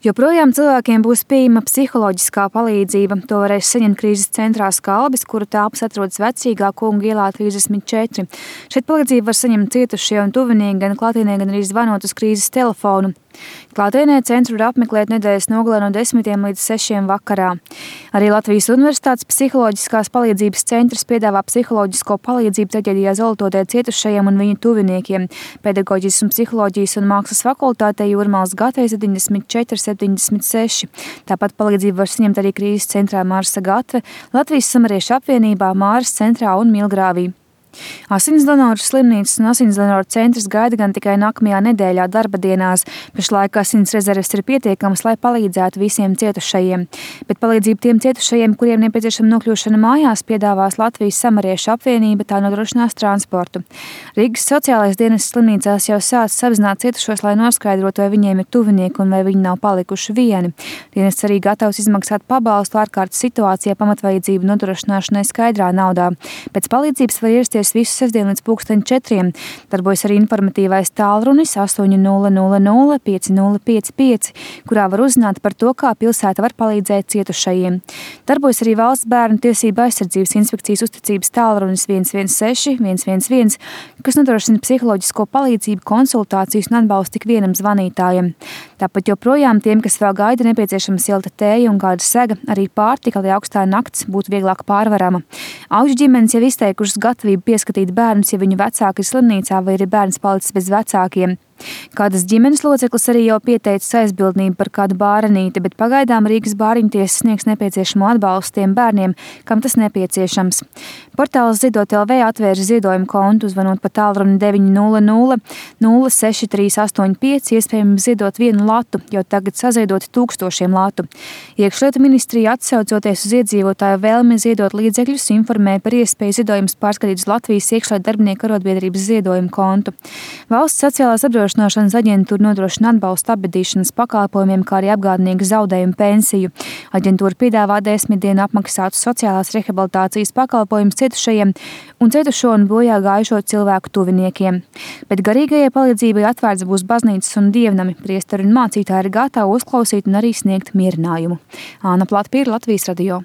Joprojām cilvēkiem būs pieejama psiholoģiskā palīdzība. To varēs saņemt krīzes centrā Skalbis, kura telpas atrodas Vecrīgā Kungu ielā 34. Šeit palīdzību var saņemt cietušie un tuvinieki gan klātienē, gan arī zvanot uz krīzes telefonu. Klātienē centru var apmeklēt nedēļas nogalē no 10 līdz 6 vakarā. Arī Latvijas Universitātes psiholoģiskās palīdzības centrs piedāvā psiholoģisko palīdzību traģēdijā Zolototē cietušajiem un viņu tuviniekiem. Pedagoģijas un psiholoģijas un mākslas fakultātē Jūrmālas Gatve 74 76. Tāpat palīdzību var saņemt arī krīzes centrā Marsa Gatve, Latvijas Samariešu apvienībā, Māras centrā un Milgrāvī. Asinsdonoru slimnīcas un asinsdonoru centrs gaida gan tikai nākamajā nedēļā darba dienās. Pašlaik asins rezerves ir pietiekamas, lai palīdzētu visiem cietušajiem. Bet palīdzību tiem cietušajiem, kuriem nepieciešama nokļūšana mājās, piedāvās Latvijas Samariešu apvienība, tā nodrošinās transportu. Rīgas sociālais dienests slimnīcās jau sācis apzināt cietušos, lai noskaidrotu, vai viņiem ir tuvinieki un vai viņi nav palikuši vieni. Dienests arī gatavs izmaksāt pabalstu ārkārtas situācijā pamatvajadzību nodrošināšanai skaidrā naudā. Pēc palīdzības var ierasties visu sestdienu līdz 4:00. Darbojas arī informatīvais tālrunis 800 5055, kurā var uzzināt par to, kā pilsēta var palīdzēt cietušajiem. Darbojas arī Valsts bērnu tiesību aizsardzības inspekcijas uzticības tālrunis 116 111, kas nodrošina psiholoģisko palīdzību, konsultācijas un atbalstu tik vienam zvanītājam. Tāpat joprojām tiem, kas vēl gaida nepieciešama silta tēja un kāda sega, arī pārtika, lai augstā nakts būtu vieglāk pārvarama. Auģu ģimenes jau izteikušas gatavību pieskatīt bērnus, ja viņu vecāki ir slimnīcā vai ir bērns palicis bez vecākiem. Kādas ģimenes loceklis arī jau pieteicis aizbildnību par kādu bārenīti, bet pagaidām Rīgas bāriņtiesa sniegs nepieciešamo atbalstu tiem bērniem, kam tas nepieciešams. Portāls Ziedot LV atvērs ziedojumu kontu, zvanot pa tālruni 900 06385, iespējams ziedot 1 latu, jo tagad saziedot 1000 latu. Iekšlietu ministrija, atsaucoties uz iedzīvotāju vēlmi ziedot līdzekļus, informē par iespēju ziedojumus pārskatīt uz Latvijas iekšlietu darbinieku arotbiedrības ziedojumu kontu. Valsts sociālās apdrošināšanas aģentūra nodrošina atbalstu apbedīšanas pakalpojumiem, kā arī apgādnieku zaudējumu pensiju. Aģentūra piedāvā 10 dienu apmaksātu sociālās rehabilitācijas pakalpojumus cietušajiem un cietušo un bojā gājušo cilvēku tuviniekiem. Bet garīgajai palīdzībai atvērts būs baznīcas un dievnami. Priesteri un mācītāji ir gatavi uzklausīt un arī sniegt mierinājumu. Āna Platpīra, Latvijas radio.